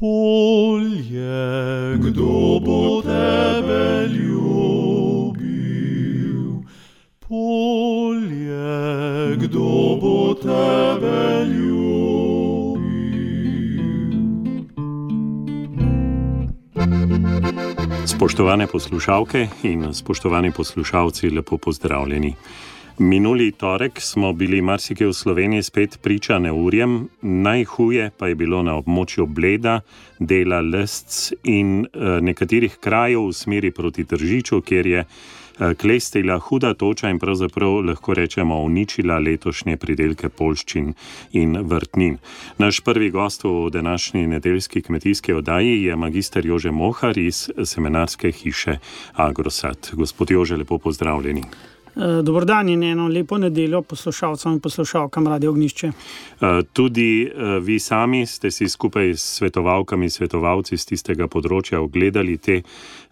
Polje, kdo bo tebe ljubil? Polje, kdo bo tebe ljubil? Spoštovane poslušalke in spoštovani poslušalci, lepo pozdravljeni. Minuli torek smo bili marsikje v Sloveniji spet priča neurjem, najhuje pa je bilo na območju Bleda, dela Lesc in nekaterih krajev v smeri proti Tržiču, kjer je klestila huda toča in pravzaprav lahko rečemo uničila letošnje pridelke poljščin in vrtnin. Naš prvi gost v današnji nedeljski kmetijski oddaji je magister Jože Mohar iz semenarske hiše Agrosad. Gospod Jože, lepo pozdravljeni. Dober dan in eno lepo nedeljo poslušalcem in poslušalkam Radio Ognjišče. Tudi vi sami ste si skupaj s svetovalkami, svetovalci z tistega področja ogledali te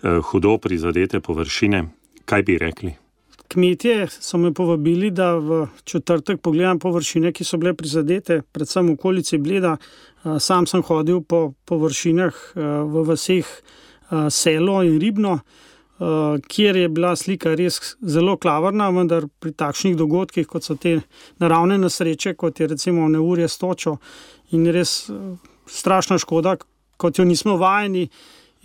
hudo prizadete površine. Kaj bi rekli? Kmetje so me povabili, da v četrtek pogledam površine, ki so bile prizadete, predvsem v okolici Bleda. Sam sem hodil po površinah v vaseh Selo in Ribno, kjer je bila slika res zelo klavrna, vendar pri takšnih dogodkih, kot so te naravne nesreče, kot je recimo neurje s točo in res strašna škoda, kot jo nismo vajeni,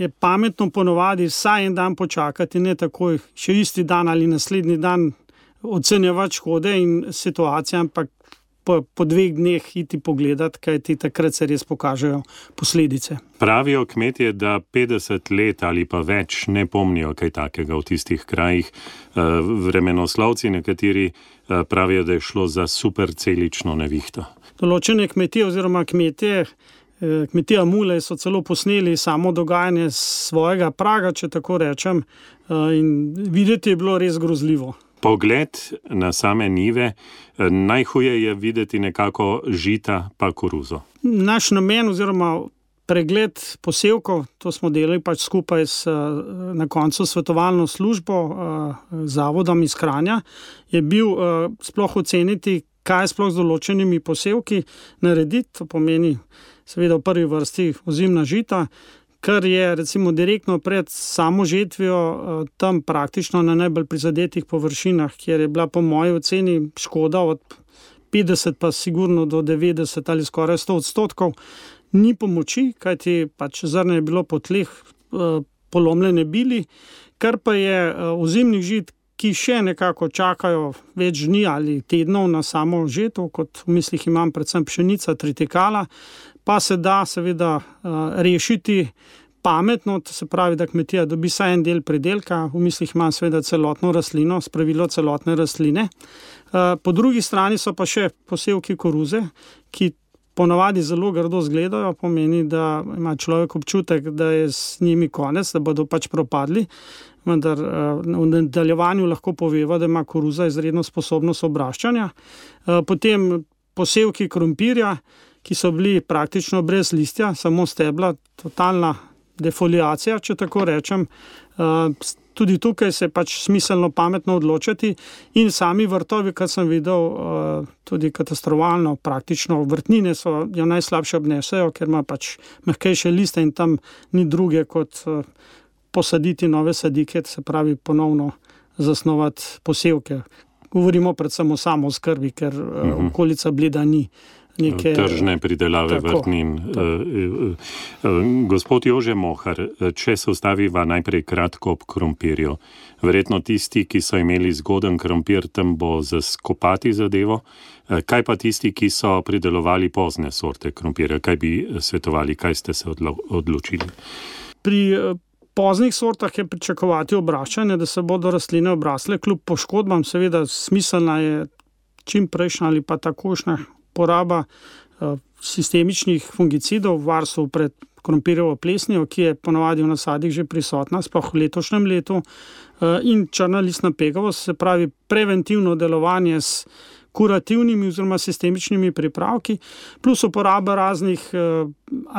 je pametno ponovadi vsaj en dan počakati, ne takoj še isti dan ali naslednji dan ocenjevati škode in situacije, ampak po 2 dneh iti pogledati, kajti takrat se res pokažejo posledice. Pravijo kmetje, da 50 let ali pa več ne pomnijo kaj takega v tistih krajih. Vremenoslovci nekateri pravijo, da je šlo za supercelično nevihto. Določene kmetije oziroma kmetija Mule so celo posneli samo dogajanje svojega praga, če tako rečem, in videti je bilo res grozljivo. Pogled na same njive, najhuje je videti nekako žita pa koruzo. Naš namen oziroma pregled posevkov, to smo delali pač skupaj na koncu svetovalno službo zavodom iz Kranja, je bil sploh oceniti, kaj je sploh z določenimi posevki narediti. To pomeni seveda v prvi vrsti ozimna žita, kar je recimo direktno pred samo žetvijo tam praktično na najbolj prizadetih površinah, kjer je bila po moji oceni škoda od 50 pa sigurno do 90 ali skoraj 100%. Ni pomoči, kajti pač zrno je bilo po tleh polomljene bili, kar pa je ozimnih žit, ki še nekako čakajo več dni ali tednov na samo žeto, kot v mislih imam predvsem pšenica, tritikala, pa se da seveda rešiti pametno, to se pravi, da kmetija dobi vsaj en del pridelka, v mislih imam seveda celotno rastlino, spravilo celotne rastline. Po drugi strani so pa še posevki koruze, ki ponavadi zelo grdo izgledajo, pomeni, da ima človek občutek, da je s njimi konec, da bodo pač propadli, vendar v nadaljevanju lahko poveva, da ima koruza izredno sposobnost obraščanja. Potem posevki krompirja, ki so bili praktično brez listja, samo stebla, totalna defoliacija, če tako rečem. Tudi tukaj se pač smiselno pametno odločiti in sami vrtovi, kar sem videl, tudi katastrofalno, praktično vrtnine jo najslabše obnesejo, ker ima pač mehkejše liste in tam ni druge kot posaditi nove sadike, se pravi ponovno zasnovati posevke. Govorimo predvsem o samooskrbi, ker okolica Bleda ni neke tržne pridelave vrtnin. Gospod Jože Mohar, če se ustaviva najprej kratko ob krompirju. Verjetno tisti, ki so imeli zgoden krompir, tam bo zaskopati zadevo. Kaj pa tisti, ki so pridelovali pozne sorte krompirja? Kaj bi svetovali? Kaj ste se odločili? Pri poznih sortah je pričakovati obraščanje, da se bodo rastline obrasle. Kljub poškodbam seveda smiselna je čim prejšnja ali pa takošnja poraba sistemičnih fungicidov v varstvu pred krompirjevo plesnijo, ki je ponavadi v nasadih že prisotna, sploh v letošnjem letu, in črna listna pegavost, se pravi preventivno delovanje s kurativnimi oziroma sistemičnimi pripravki, plus uporaba raznih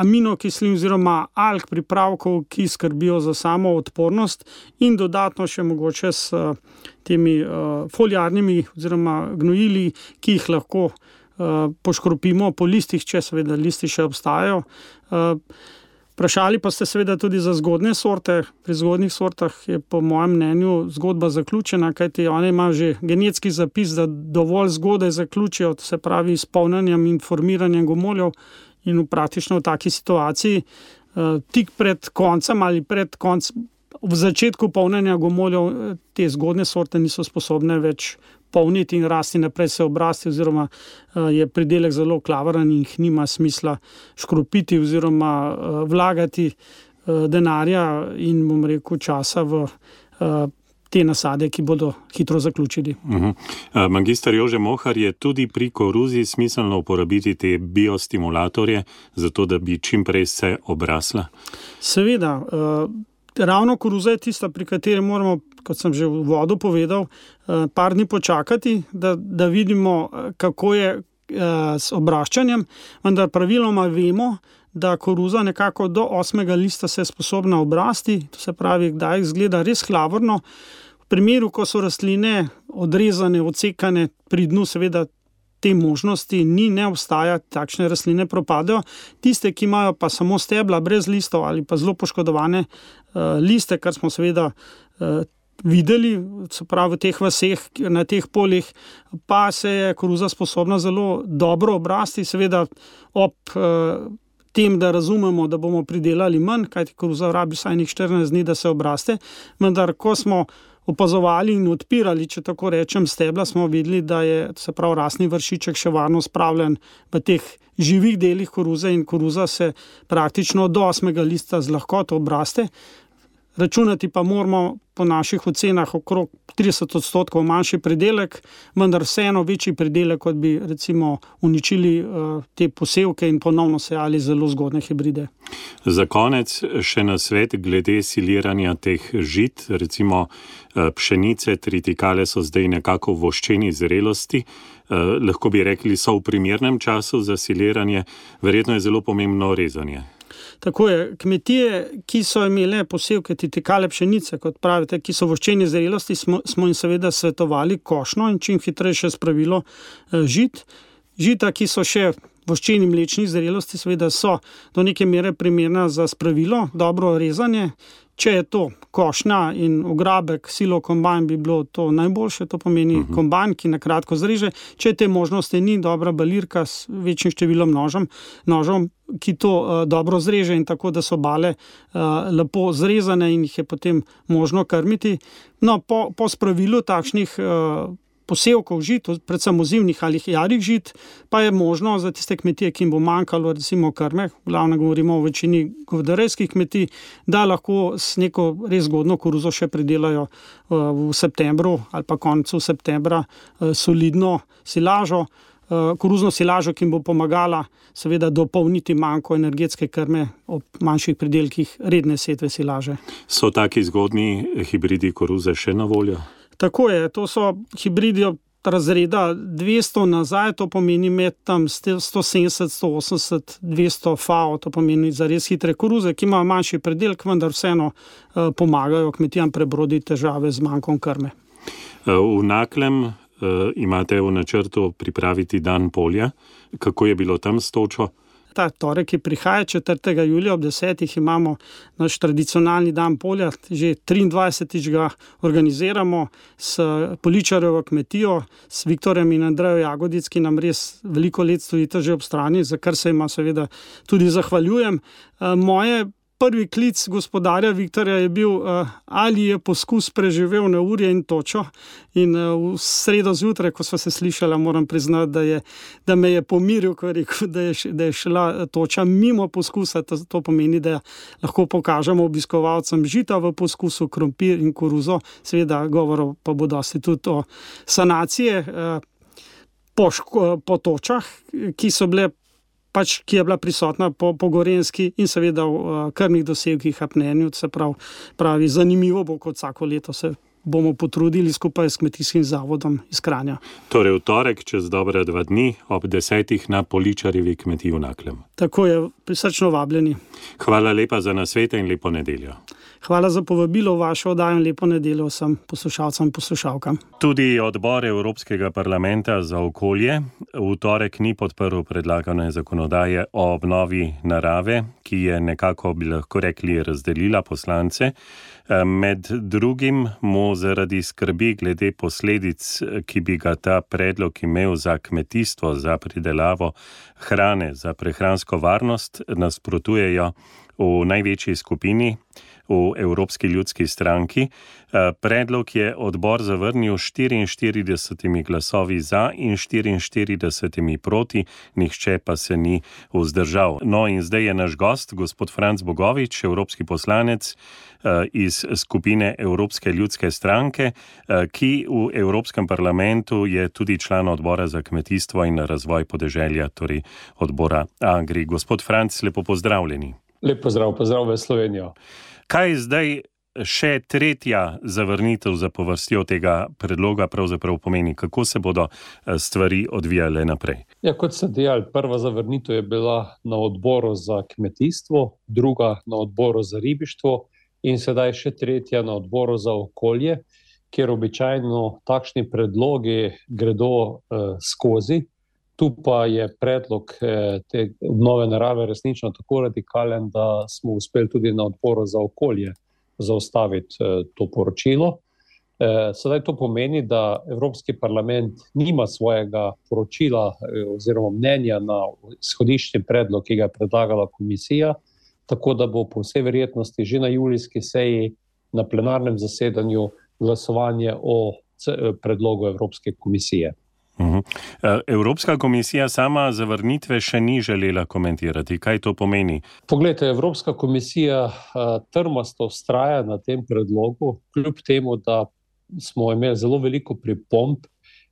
aminokislin oziroma alg pripravkov, ki skrbijo za samo odpornost in dodatno še mogoče s temi foliarnimi oziroma gnojili, ki jih lahko poškropimo po listih, če seveda listi še obstajajo. Vprašali pa ste seveda tudi za zgodne sorte. Pri zgodnih sortah je po mojem mnenju zgodba zaključena, kajti oni imajo že genetski zapis, da dovolj zgodaj zaključijo, se pravi s polnjenjem in formiranjem gomoljev, in praktično v taki situaciji tik pred koncem ali v začetku polnjenja gomoljev te zgodne sorte niso sposobne več polniti in rasti naprej, se obrasti, oziroma je pridelek zelo klavaren in jih nima smisla škropiti oziroma vlagati denarja in, bom rekel, časa v te nasade, ki bodo hitro zaključili. Magister Jože Mohar, je tudi pri koruzi smiselno uporabiti te biostimulatorje, zato da bi čim prej se obrasla? Seveda. Ravno koruza je tista, pri kateri moramo, kot sem že v uvodu povedal, par dni počakati, da vidimo, kako je s obraščanjem, vendar praviloma vemo, da koruza nekako do 8. lista se je sposobna obrasti, to se pravi, da izgleda res klavrno. V primeru, ko so rastline odrezane, odsekane, pri dnu seveda te možnosti ne obstaja, takšne rastline propadajo. Tiste, ki imajo pa samo stebla brez listov ali pa zelo poškodovane liste, kar smo seveda videli, se pravi v teh vaseh, na teh poljih, pa se je koruza sposobna zelo dobro obrasti, seveda ob tem, da razumemo, da bomo pridelali manj, kajti koruza rabi vsaj 14 dni, da se obraste, vendar ko smo opazovali in odpirali, če tako rečem, stebla, smo videli, da je, se pravi, rastni vršiček še varno spravljen v teh živih delih koruze in koruza se praktično do 8. lista z lahkoto obraste. Računati pa moramo po naših ocenah okrog 30% manjši pridelek, vendar vseeno večji pridelek, kot bi recimo uničili te posevke in ponovno sejali zelo zgodne hibride. Za konec še nasvet glede siliranja teh žit, recimo pšenice, tritikale so zdaj nekako v voščeni zrelosti, lahko bi rekli, so v primernem času za siliranje, verjetno je zelo pomembno rezanje. Tako je, kmetije, ki so imele posevke tritikale pšenice, kot pravite, ki so v voščeni zrelosti, smo jim seveda svetovali košno in čim hitrejše spravilo žit. Žita, ki so še v voščeni mlečni zrelosti, seveda so do neke mere primerna za spravilo, dobro rezanje. Če je to košnja in ograbek, silo kombajn, bi bilo to najboljše, to pomeni kombajn, ki na kratko zreže. Če te možnosti ni, dobra balirka s večjim številom nožom, ki to dobro zreže in tako, da so bale lepo zrezane in jih je potem možno krmiti. No, po spravilu takšnih posevkov žit, predvsem ozimnih ali jarih žit, pa je možno za tiste kmetije, ki jim bo manjkalo recimo krme, glavno govorimo o večini govedarejskih kmetij, da lahko s neko res zgodno koruzo še pridelajo v septembru ali pa koncu septembra solidno silažo, koruzno silažo, ki jim bo pomagala seveda dopolniti manjko energetske krme ob manjših pridelkih redne setve silaže. So taki zgodni hibridi koruze še na voljo? Tako je, to so hibridi od razreda 200 nazaj, to pomeni med tam 170, 180, 200 FAO, to pomeni za res hitre koruze, ki imajo manjši pridelek, vendar vseeno pomagajo kmetijam prebroditi težave z manjkom krme. V Naklem imate v načrtu pripraviti dan polja. Kako je bilo tam s točo? Ta torek, ki prihaja 4. julija ob 10. imamo naš tradicionalni dan polja, že 23. ga organiziramo s Poličarjevo kmetijo, s Viktorjem in Andrejo Jagodic, ki nam res veliko let stojita že ob strani, za kar se ima seveda tudi zahvaljujem. Moje prvi klic gospodarja Viktorja je bil, ali je poskus preživel neurje in točo, in v sredo zjutraj, ko sva se slišala, moram priznati, da me je pomiril, ko je rekel, da je šla toča mimo poskusa. To pomeni, da lahko pokažemo obiskovalcem žita v poskusu, krompir in koruzo, seveda govorov pa bo dosti tudi o sanacije po točah, ki je bila prisotna po Gorenjski in seveda v krmnih dosegih apnenju, se pravi, zanimivo bo, kot vsako leto se bomo potrudili skupaj s kmetijskim zavodom iz Kranja. Torej v torek, čez dobra 2 dni, ob 10. na Poličarjevi kmetiji v Naklem. Tako je, prisrčno vabljeni. Hvala lepa za nasvete in lepo nedeljo. Hvala za povabilo v vašo oddajo in lepo nedeljo vsem poslušalcem in poslušalkam. Tudi odbor Evropskega parlamenta za okolje v torek ni podprl predlagane zakonodaje o obnovi narave, ki je nekako, bi lahko rekli, razdelila poslance. Med drugim mu zaradi skrbi glede posledic, ki bi ga ta predlog imel za kmetijstvo, za pridelavo hrane, za prehransko varnost, nasprotujejo v največji skupini, v Evropski ljudski stranki. Predlog je odbor zavrnil 44 glasovi za in 44 proti, nihče pa se ni vzdržal. No in zdaj je naš gost, gospod Franc Bogovič, evropski poslanec iz skupine Evropske ljudske stranke, ki v Evropskem parlamentu je tudi član odbora za kmetijstvo in razvoj podeželja, torej odbora Agri. Gospod Franc, lepo pozdravljeni. Lep pozdrav v Slovenijo. Kaj zdaj še tretja zavrnitev za povrstjo tega predloga pravzaprav pomeni? Kako se bodo stvari odvijale naprej? Ja, kot ste dejali, prva zavrnitev je bila na odboru za kmetijstvo, druga na odboru za ribištvo in sedaj še tretja na odboru za okolje, kjer običajno takšni predlogi gredo skozi. Tu pa je predlog te obnove narave resnično tako radikalen, da smo uspeli tudi na odboru za okolje zaustaviti to poročilo. Sedaj to pomeni, da Evropski parlament nima svojega poročila oziroma mnenja na izhodiščni predlog, ki ga je predlagala komisija, tako da bo po vsej verjetnosti že na julijski seji na plenarnem zasedanju glasovanje o predlogu Evropske komisije. Evropska komisija sama zavrnitve še ni želela komentirati. Kaj to pomeni? Poglejte, Evropska komisija trmasto vztraja na tem predlogu, kljub temu, da smo imeli zelo veliko pripomb,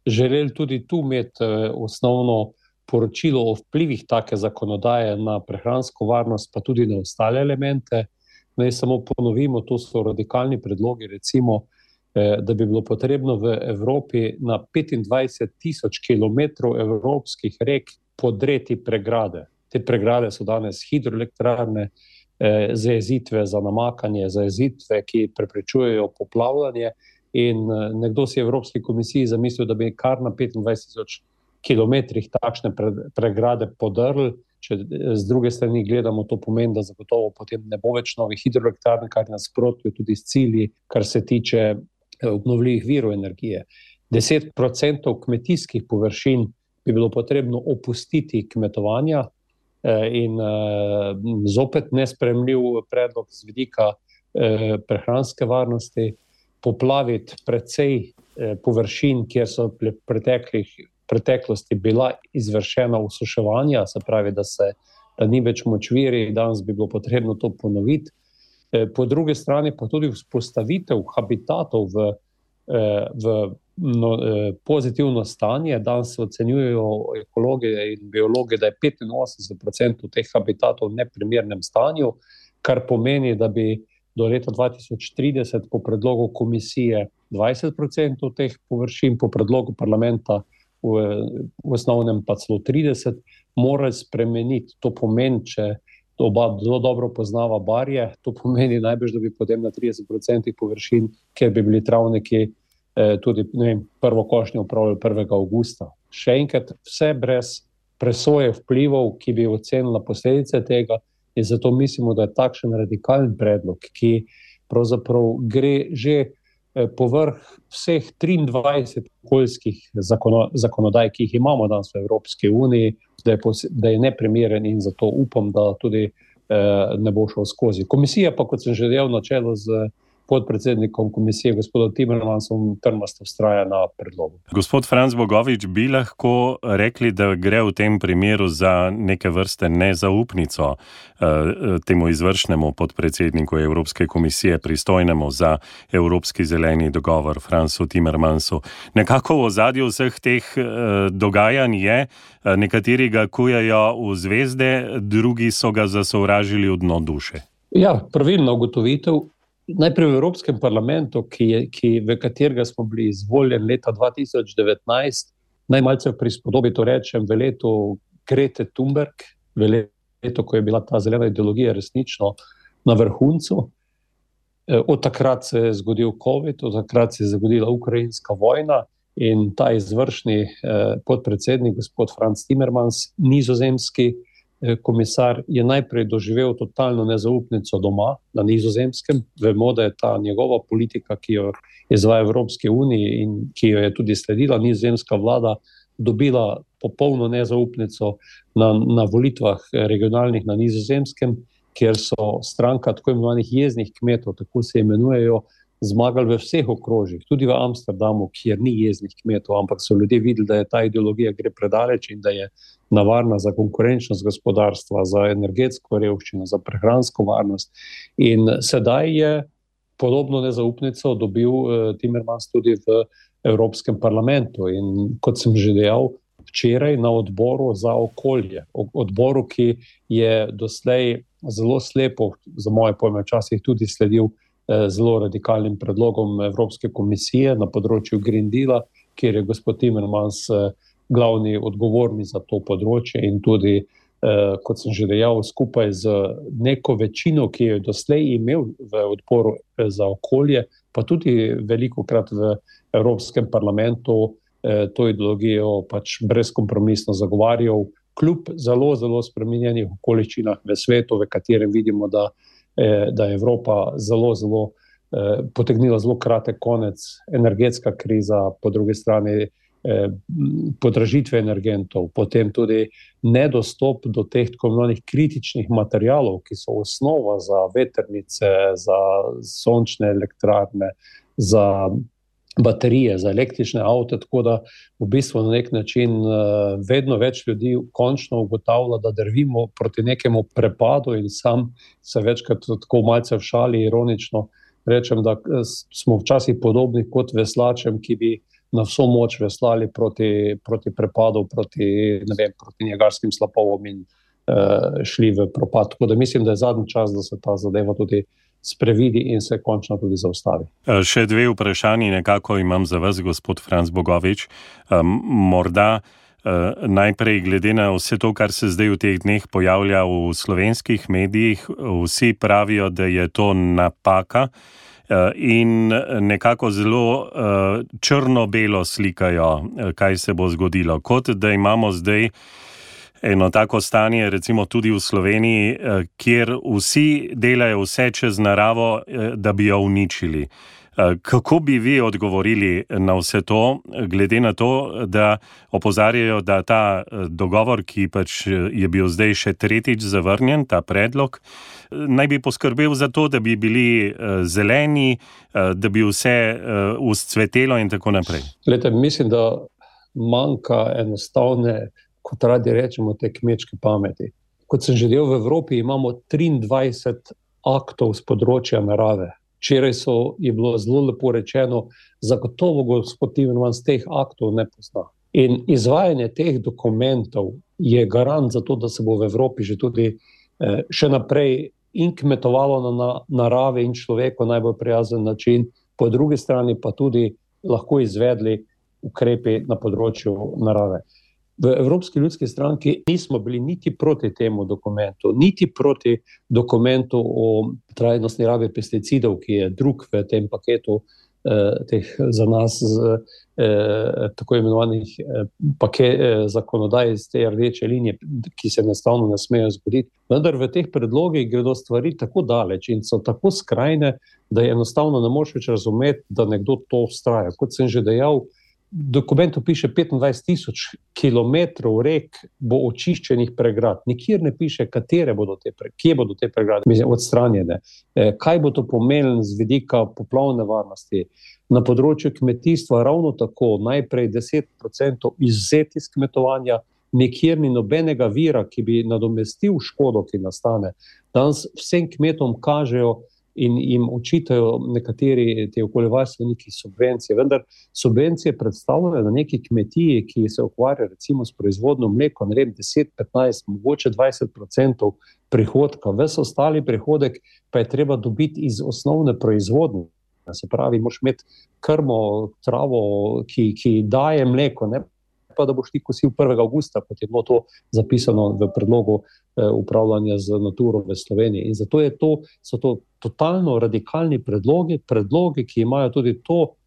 želeli tudi tu imeti osnovno poročilo o vplivih take zakonodaje na prehransko varnost, pa tudi na ostale elemente. Naj samo ponovimo, to so radikalni predlogi, recimo, da bi bilo potrebno v Evropi na 25,000 kilometrov evropskih rek podreti pregrade. Te pregrade so danes hidroelektrarne, zajezitve za namakanje, zajezitve, ki preprečujejo poplavljanje, in nekdo si v Evropski komisiji zamislil, da bi kar na 25,000 kilometrih takšne pregrade podrli. Če z druge strani gledamo, to pomeni, da zagotovo potem ne bo več novih hidroelektrarn, kar nasprotuje tudi s cilji, kar se tiče obnovljivih virov energije. 10% kmetijskih površin bi bilo potrebno opustiti kmetovanja in zopet nesprejemljiv predlog z vidika prehranske varnosti, poplaviti precej površin, kjer so v preteklosti bila izvršena osuševanja, se pravi, da ni več močvirij, danes bi bilo potrebno to ponoviti. Po drugi strani pa tudi vzpostavitev habitatov v pozitivno stanje. Danes se ocenjujejo ekologi in biologi, da je 85% teh habitatov v neprimernem stanju, kar pomeni, da bi do leta 2030 po predlogu komisije 20% teh površin, po predlogu parlamenta v osnovnem pa celo 30%, morali spremeniti. To pomeni, če oba zelo dobro poznava barje, to pomeni najbrž, da bi potem na 30% površin, kjer bi bili travniki tudi prvo košnjo opravljali 1. avgusta. Še enkrat, vse brez presoje vplivov, ki bi ocenila posledice tega, in zato mislimo, da je takšen radikalen predlog, ki pravzaprav gre že povrh vseh 23 okoljskih zakonodaj, ki jih imamo danes v Evropski uniji, da je neprimeren in zato upam, da tudi ne bo šel skozi. Komisija pa, kot sem že dejal, na čelu z podpredsednikom komisije, gospodom Timmermansom, trmasto vztraja na predlogu. Gospod Franc Bogovič, bi lahko rekli, da gre v tem primeru za neke vrste nezaupnico temu izvršnemu podpredsedniku Evropske komisije, pristojnemu za Evropski zeleni dogovor, Francu Timmermansu. Nekako v ozadju vseh teh dogajanj je, nekateri ga kujejo v zvezde, drugi so ga zasovražili v dno duše. Ja, pravilna ugotovitev. Najprej v Evropskem parlamentu, v katerega smo bili izvoljeni leta 2019, najmalce v prispodobi to rečem, v letu Grete Thunberg, v letu, ko je bila ta zelena ideologija resnično na vrhuncu. Od takrat se je zgodil COVID, od takrat se je zgodila ukrajinska vojna in ta izvršni podpredsednik, gospod Franz Timmermans, nizozemski komisar, je najprej doživel totalno nezaupnico doma na Nizozemskem. Vemo, da je ta njegova politika, ki jo izvaja Evropske unije in ki jo je tudi sledila nizozemska vlada, dobila popolno nezaupnico na volitvah regionalnih na Nizozemskem, kjer so stranka tako imenovanih jeznih kmetov, tako se imenujejo, zmagali v vseh okrožjih, tudi v Amsterdamu, kjer ni jeznih kmetov, ampak so ljudje videli, da je ta ideologija gre predaleč in da je nevarna za konkurenčnost gospodarstva, za energetsko revščino, za prehransko varnost. In sedaj je podobno nezaupnico dobil Timmermans tudi v Evropskem parlamentu. In kot sem že dejal, včeraj na odboru za okolje, odboru, ki je doslej zelo slepo, za moje pojme včasih tudi sledil zelo radikalnim predlogom Evropske komisije na področju Green Deala, kjer je gospod Timmermans glavni odgovorni za to področje in tudi, kot sem že dejal, skupaj z neko večino, ki jo je doslej imel v odboru za okolje, pa tudi velikokrat v Evropskem parlamentu to ideologijo pač brezkompromisno zagovarjal, kljub zelo, zelo spremenjenih okoliščinah v svetu, v katerem vidimo, da je Evropa zelo, zelo potegnila zelo kratek konec, energetska kriza, po drugi strani podražitve energentov, potem tudi nedostop do teh tako imenovanih kritičnih materialov, ki so osnova za vetrnice, za sončne elektrarne, za baterije, za električne avte, tako da v bistvu na nek način vedno več ljudi končno ugotavlja, da drvimo proti nekemu prepadu in sam se večkrat tako malce v šali ironično rečem, da smo včasih podobni kot veslačem, ki bi na vso moč veslali proti prepadu, proti Niagarskim slapovom in šli v propad. Tako da mislim, da je zadnji čas, da se ta zadeva tudi sprevidi in se končno tudi zaustavi. Še dve vprašanji nekako imam za vas, gospod Franc Bogovič. Morda najprej glede na vse to, kar se zdaj v teh dneh pojavlja v slovenskih medijih, vsi pravijo, da je to napaka in nekako zelo črno-belo slikajo, kaj se bo zgodilo. Kot da imamo zdaj eno tako stanje, recimo tudi v Sloveniji, kjer vsi delajo vse čez naravo, da bi jo uničili. Kako bi vi odgovorili na vse to, glede na to, da opozarjajo, da ta dogovor, ki pač je bil zdaj še tretjič zavrnjen, ta predlog, naj bi poskrbel za to, da bi bili zeleni, da bi vse vzcvetelo in tako naprej? Glejte, mislim, da manjka enostavne, kot radi rečemo, te kmečke pameti. Kot sem že delal v Evropi, imamo 23 aktov z področja narave. Včeraj je bilo zelo lepo rečeno, zagotovo gospod Timmermans teh aktov ne pozna. In izvajanje teh dokumentov je garant za to, da se bo v Evropi že tudi še naprej in kmetovalo na naravi in človeku najbolj prijazen način, po drugi strani pa tudi lahko izvedli ukrepi na področju narave. V Evropski ljudski stranki nismo bili niti proti temu dokumentu, niti proti dokumentu o trajnostni rabi pesticidov, ki je drug v tem paketu teh za nas tako imenovanih zakonodaj iz te rdeče linije, ki se enostavno ne smejo zgoditi. Vendar v teh predlogih gredo stvari tako daleč in so tako skrajne, da je enostavno ne moreš več razumeti, da nekdo to vztraja. Kot sem že dejal, v dokumentu piše 25,000 kilometrov rek bo očiščenih pregrad. Nikjer ne piše, kje bodo te pregrade odstranjene. Kaj bo to pomenilo z vidika poplavne varnosti. Na področju kmetijstva ravno tako, najprej 10% izzeti iz kmetovanja, nikjer ni nobenega vira, ki bi nadomestil škodo, ki nastane. Danes vsem kmetom kažejo in jim očitajo nekateri te okoljevarstveniki subvencije, vendar subvencije predstavljajo na neki kmetiji, ki se ukvarja recimo s proizvodnjo mleka, 10, 15, mogoče 20% prihodka. Ves ostali prihodek pa je treba dobiti iz osnovne proizvodnje. Se pravi, moraš imeti krmo, travo, ki daje mleko, ne pa, da boš ti kosil 1. avgusta, kot je bilo to zapisano v predlogu upravljanja z Naturo v Sloveniji. In zato so to totalno radikalni predlogi, ki imajo tudi to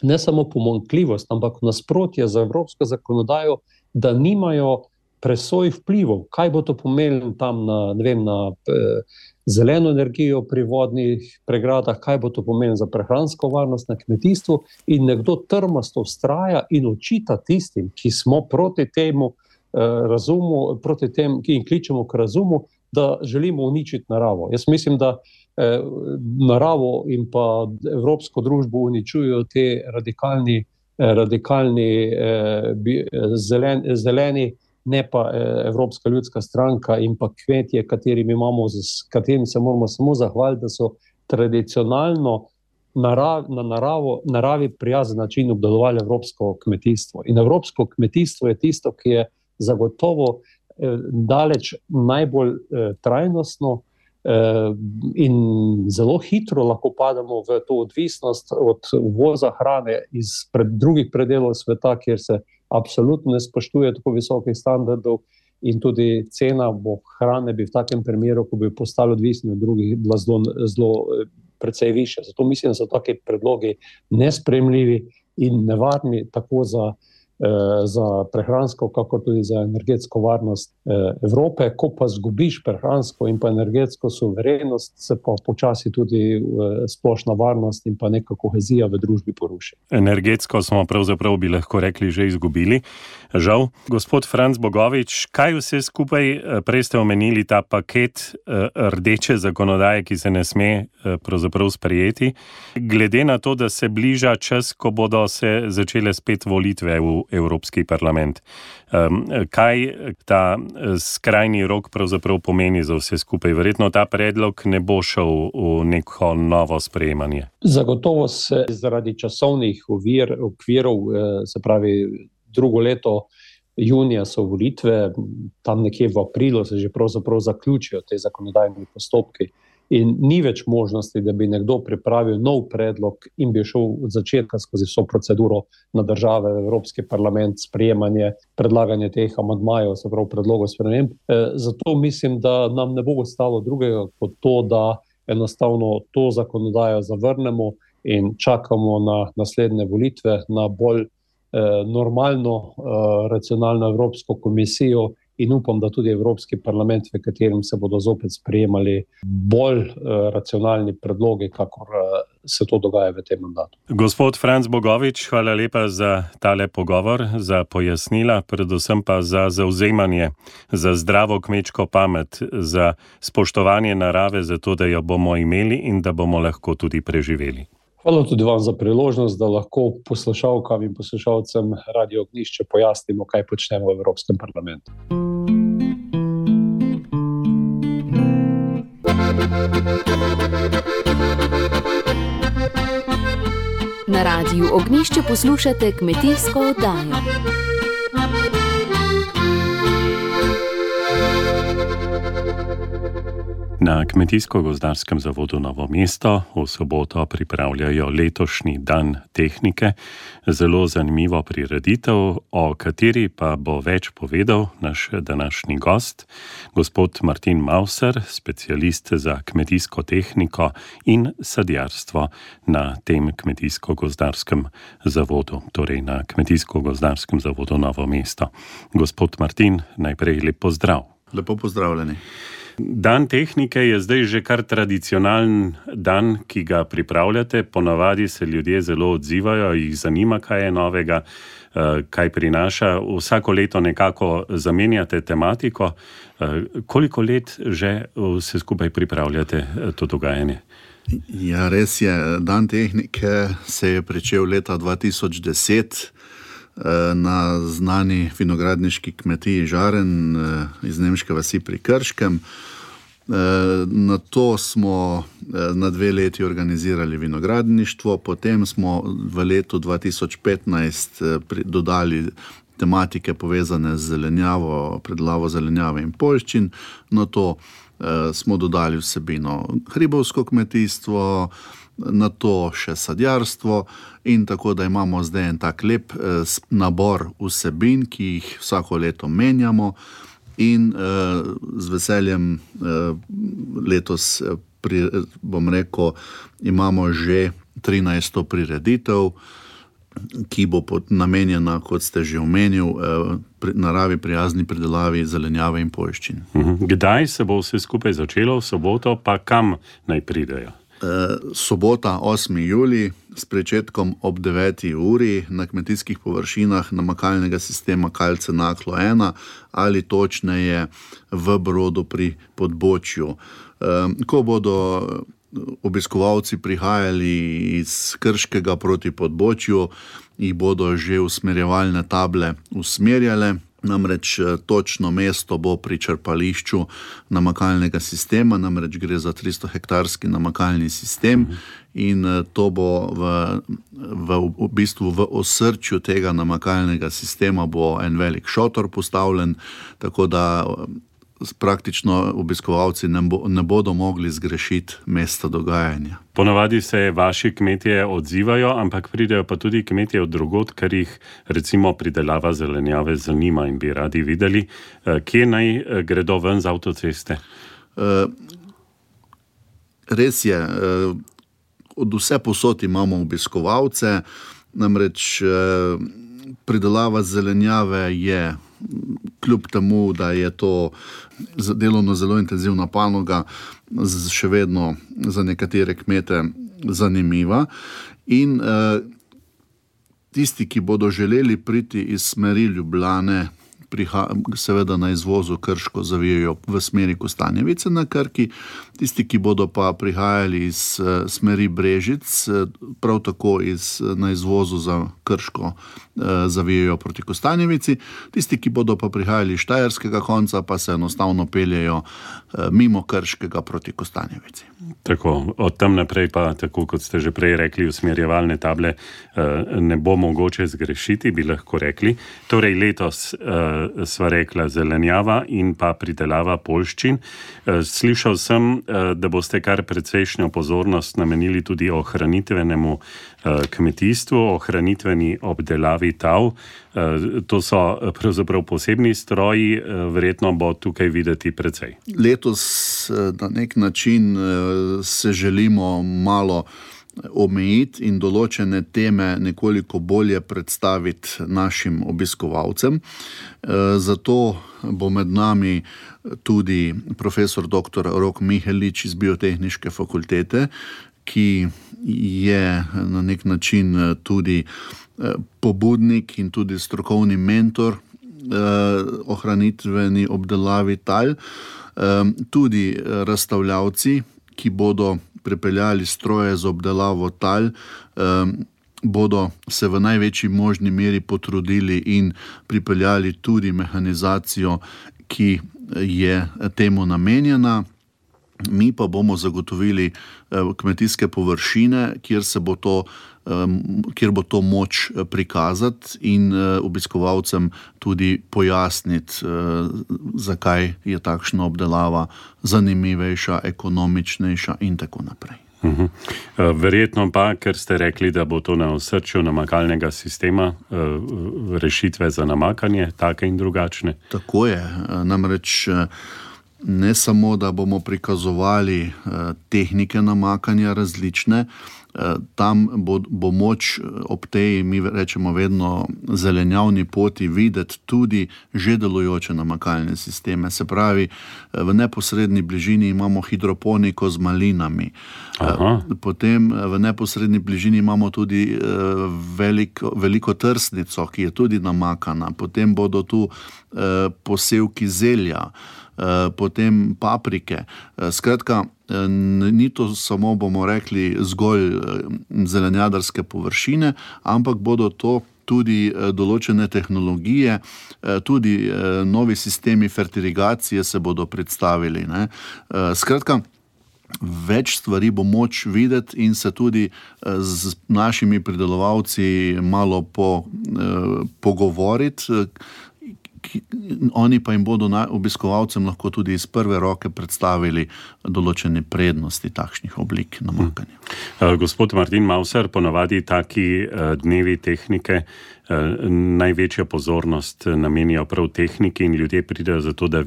ne samo pomanjkljivost, ampak nasprotje z evropsko zakonodajo, da nimajo presoj vplivov, kaj bo to pomenilo tam na zeleno energijo pri vodnih pregradah, kaj bo to pomenilo za prehransko varnost na kmetijstvu, in nekdo trmasto vztraja in očita tistim, ki smo proti temu razumu, proti tem, ki jim kličemo k razumu, da želimo uničiti naravo. Jaz mislim, da naravo in pa evropsko družbo uničujejo te radikalni zeleni, ne pa Evropska ljudska stranka in pa kmetje, katerim se moramo samo zahvaliti, da so tradicionalno naravi prijazen način obdelovali evropsko kmetijstvo. In evropsko kmetijstvo je tisto, ki je zagotovo daleč najbolj trajnostno in zelo hitro lahko pademo v to odvisnost od uvoza hrane iz drugih predelov sveta, kjer se absolutno ne spoštuje tako visokih standardov in tudi cena hrane bi v takem primeru, ko bi postali odvisni od drugih, bila zelo precej višja. Zato mislim, da so taki predlogi nesprejemljivi in nevarni tako za prehransko, kako tudi za energetsko varnost Evrope. Ko pa zgubiš prehransko in pa energetsko suverenost, se pa počasi tudi splošna varnost in pa neka kohezija v družbi poruši. Energetsko smo pravzaprav, bi lahko rekli, že izgubili. Žal. Gospod Franc Bogovič, kaj vse skupaj, prej ste omenili ta paket rdeče zakonodaje, ki se ne sme pravzaprav sprejeti, glede na to, da se bliža čas, ko bodo se začele spet volitve v Evropski parlament. Kaj ta skrajni rok pravzaprav pomeni za vse skupaj? Verjetno ta predlog ne bo šel v neko novo sprejemanje. Zagotovo se zaradi časovnih okvirov, se pravi drugo leto junija so volitve, tam nekje v aprilu se že pravzaprav zaključijo te zakonodajni postopki. In ni več možnosti, da bi nekdo pripravil nov predlog in bi šel od začetka skozi vso proceduro na države, Evropski parlament, sprejemanje, predlaganje teh amandmajev, se pravi predlogov sprememb. Zato mislim, da nam ne bo ostalo drugega kot to, da enostavno to zakonodajo zavrnemo in čakamo na naslednje volitve, na bolj normalno, racionalno Evropsko komisijo. In upam, da tudi Evropski parlament, v katerem se bodo zopet sprejemali bolj racionalni predlogi, kakor se to dogaja v tem mandatu. Gospod Franc Bogovič, hvala lepa za tale pogovor, za pojasnila, predvsem pa za zavzemanje, za zdravo kmečko pamet, za spoštovanje narave, za to, da jo bomo imeli in da bomo lahko tudi preživeli. Hvala tudi vam za priložnost, da lahko poslušalkam in poslušalcem Radio Ognjišče pojasnimo, kaj počnemo v Evropskem parlamentu. Na Radiu Ognjišče poslušate kmetijsko oddajo. Na Kmetijsko-gozdarskem zavodu Novo mesto v soboto pripravljajo letošnji dan tehnike. Zelo zanimivo prireditev, o kateri pa bo več povedal naš današnji gost, gospod Martin Mauser, specialist za kmetijsko tehniko in sadjarstvo na tem Kmetijsko-gozdarskem zavodu, torej na Kmetijsko-gozdarskem zavodu Novo mesto. Gospod Martin, najprej lep pozdrav. Lepo pozdravljeni. Dan tehnike je zdaj že kar tradicionalen dan, ki ga pripravljate. Ponavadi se ljudje zelo odzivajo, jih zanima, kaj je novega, kaj prinaša. Vsako leto nekako zamenjate tematiko. Koliko let že vse skupaj pripravljate to dogajanje? Ja, res je. Dan tehnike se je pričel leta 2010 na znani vinogradniški kmetiji Žaren iz nemške vasi pri Krškem. Na to smo na 2 leti organizirali vinogradništvo, potem smo v letu 2015 dodali tematike povezane z zelenjavo, predelavo zelenjave in poljščin. Na to smo dodali vsebino hribovsko kmetijstvo, na to še sadjarstvo in tako, da imamo zdaj en tak lep nabor vsebin, ki jih vsako leto menjamo in z veseljem letos, bom rekel, imamo že 13. prireditev, ki bo namenjena, kot ste že omenil, naravi prijazni pridelavi zelenjave in poljščin. Kdaj se bo vse skupaj začelo, v soboto, pa kam naj pridejo? Sobota 8. julij s pričetkom ob 9. uri na kmetijskih površinah namakalnega sistema Kalce Naklo 1 ali točneje v Brodu pri Podbočju. Ko bodo obiskovalci prihajali iz Krškega proti Podbočju, jih bodo že usmerjevalne table usmerjale. Namreč točno mesto bo pri črpališču namakalnega sistema, namreč gre za 300 hektarski namakalni sistem in to bo v bistvu v osrčju tega namakalnega sistema bo en velik šotor postavljen, tako da praktično obiskovalci ne bodo mogli zgrešiti mesta dogajanja. Ponavadi se vaši kmetje odzivajo, ampak pridejo pa tudi kmetje od drugod, ker jih recimo pridelava zelenjave zanima in bi radi videli. Kje naj gredo ven z avtoceste? Res je, od vse posod imamo obiskovalce, namreč pridelava zelenjave je, kljub temu, da je to delovno zelo intenzivna panoga, še vedno za nekatere kmete zanimiva. In tisti, ki bodo želeli priti iz smeri Ljubljane, seveda na izvozu Krško zavijajo v smeri Kostanjevice na Krki, tisti, ki bodo pa prihajali iz smeri Brežic, prav tako na izvozu za Krško zavijajo proti Kostanjevici, tisti, ki bodo pa prihajali iz štajerskega konca, pa se enostavno peljejo mimo Krškega proti Kostanjevici. Tako, od tam naprej pa, tako kot ste že prej rekli, usmerjevalne table ne bo mogoče zgrešiti, bi lahko rekli. Torej letos sva rekla zelenjava in pa pridelava poljščin. Slišal sem, da boste kar precejšnjo pozornost namenili tudi ohranitvenemu kmetijstvu, ohranitveni obdelavi tav. To so pravzaprav posebni stroji, verjetno bo tukaj videti precej. Letos na nek način se želimo malo omejiti in določene teme nekoliko bolje predstaviti našim obiskovalcem. Zato bo med nami tudi profesor dr. Rok Mihelič iz Biotehniške fakultete, ki je na nek način tudi pobudnik in tudi strokovni mentor ohranitveni obdelavi tal, tudi razstavljavci, ki bodo pripeljali stroje za obdelavo tal, bodo se v največji možni meri potrudili in pripeljali tudi mehanizacijo, ki je temu namenjena. Mi pa bomo zagotovili kmetijske površine, kjer bo to moč prikazati in obiskovalcem tudi pojasniti, zakaj je takšna obdelava zanimivejša, ekonomičnejša in tako naprej. Verjetno pa, ker ste rekli, da bo to na osrčju namakalnega sistema, rešitve za namakanje, take in drugačne. Tako je, namreč ne samo, da bomo prikazovali tehnike namakanja različne, tam bo moč ob tej, mi rečemo vedno, zelenjavni poti videti tudi že delujoče namakalne sisteme. Se pravi, v neposredni bližini imamo hidroponiko z malinami. Potem v neposredni bližini imamo tudi veliko trsnico, ki je tudi namakana. Potem bodo tu posevki zelja, potem paprike. Skratka, ni to samo, bomo rekli, zgolj zelenjadarske površine, ampak bodo to tudi določene tehnologije, tudi novi sistemi fertilizacije se bodo predstavili. Skratka, več stvari bo moč videti in se tudi z našimi pridelovalci malo pogovoriti, oni pa jim bodo obiskovalcem lahko tudi iz prve roke predstavili določene prednosti takšnih oblik namakanja. Gospod Martin Mauser, ponavadi taki dnevi tehnike največja pozornost namenijo prav tehniki in ljudje pridejo zato, da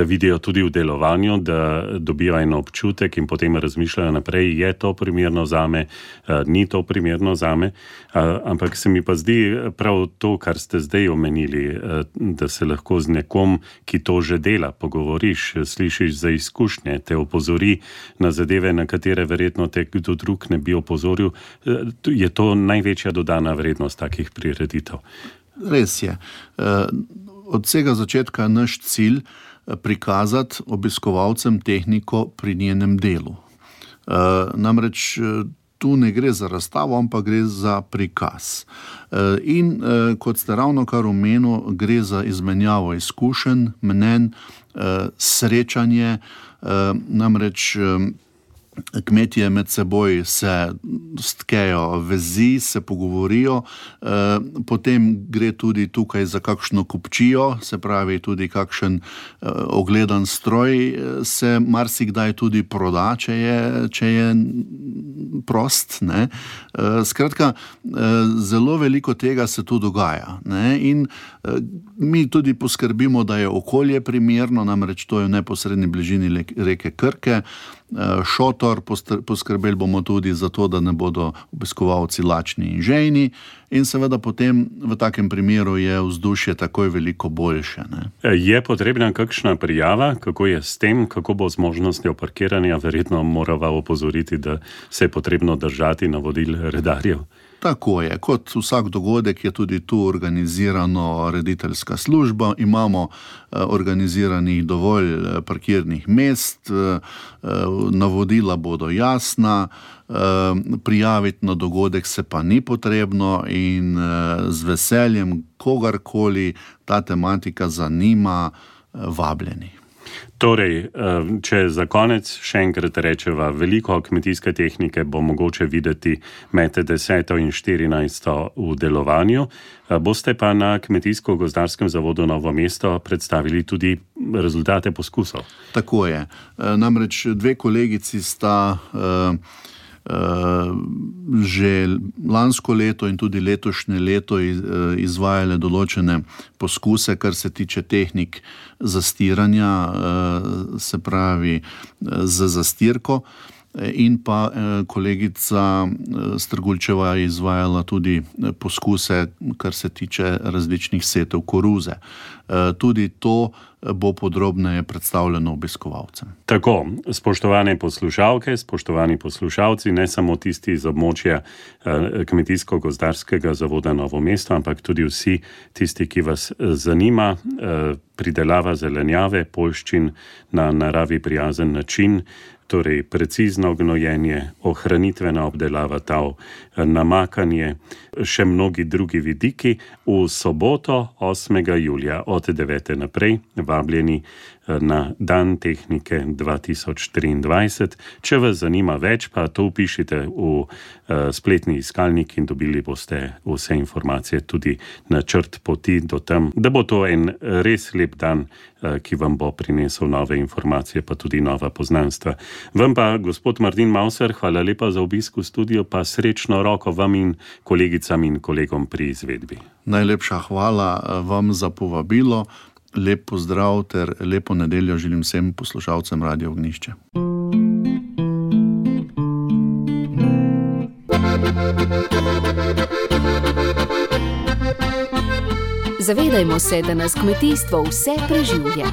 vidijo tudi v delovanju, da dobijo en občutek in potem razmišljajo naprej, je to primerno zame, ni to primerno zame, ampak se mi pa zdi prav to, kar ste zdaj omenili, da se lahko z nekom, ki to že dela, pogovoriš, slišiš za izkušnje, te opozori na zadeve, na katere verjetno te kdo drug ne bi opozoril, je to največja dodana vrednost takih prireditev. Res je. Od vsega začetka je naš cilj prikazati obiskovalcem tehniko pri njenem delu. Namreč tu ne gre za razstavo, ampak gre za prikaz. In kot ste ravnokar omenili, gre za izmenjavo izkušenj, mnenj, srečanje, namreč kmetje med seboj se stkejo vezi, se pogovorijo, potem gre tudi tukaj za kakšno kupčijo, se pravi tudi kakšen ogledan stroj se marsikdaj tudi proda, če je prost. Ne? Skratka, zelo veliko tega se tu dogaja. Ne? In mi tudi poskrbimo, da je okolje primerno, namreč to je v neposredni bližini reke Krke, šotor, poskrbeli bomo tudi za to, da ne bodo obiskovalci lačni in žejni in seveda potem v takem primeru je vzdušje takoj veliko boljše. Ne? Je potrebna kakšna prijava, kako je s tem, kako bo z možnostjo parkiranja, verjetno morava opozoriti, da se je potrebno držati navodil redarjev? Tako je, kot vsak dogodek je tudi tu organizirano rediteljska služba, imamo organiziranih dovolj parkirnih mest, navodila bodo jasna, prijaviti na dogodek se pa ni potrebno in z veseljem kogarkoli ta tematika zanima, vabljeni. Torej, če za konec še enkrat rečeva, veliko kmetijske tehnike bo mogoče videti med 10. in 14. v delovanju. Boste pa na Kmetijsko-gozdarskem zavodu Novo mesto predstavili tudi rezultate poskusov. Tako je. Namreč dve kolegici sta že lansko leto in tudi letošnje leto izvajale določene poskuse, kar se tiče tehnik zastiranja, se pravi z zastirko, in pa kolegica Strgulčeva je izvajala tudi poskuse, kar se tiče različnih setev koruze. Tudi to bo podrobneje predstavljeno obiskovalcem. Tako, spoštovane poslušalke, spoštovani poslušalci, ne samo tisti iz območja Kmetijsko-gozdarskega zavoda Novo mesto, ampak tudi vsi tisti, ki vas zanima pridelava zelenjave, poljščin na naravi prijazen način, torej precizno gnojenje, ohranitvena obdelava tal, namakanje, še mnogi drugi vidiki. V soboto 8. julija od 9. naprej vabljeni na Dan tehnike 2023. Če vas zanima več, pa to vpišite v spletni iskalnik in dobili boste vse informacije, tudi načrt poti do tam, da bo to en res lep dan, ki vam bo prinesel nove informacije, pa tudi nova poznanstva. Vam pa, gospod Martin Mauser, hvala lepa za obisk v studiu, pa srečno roko vam in kolegicam in kolegom pri izvedbi. Najlepša hvala vam za povabilo, lep pozdrav ter lepo nedeljo želim vsem poslušalcem Radio Ognjišče. Zavedajmo se, da nas kmetijstvo vse preživlja.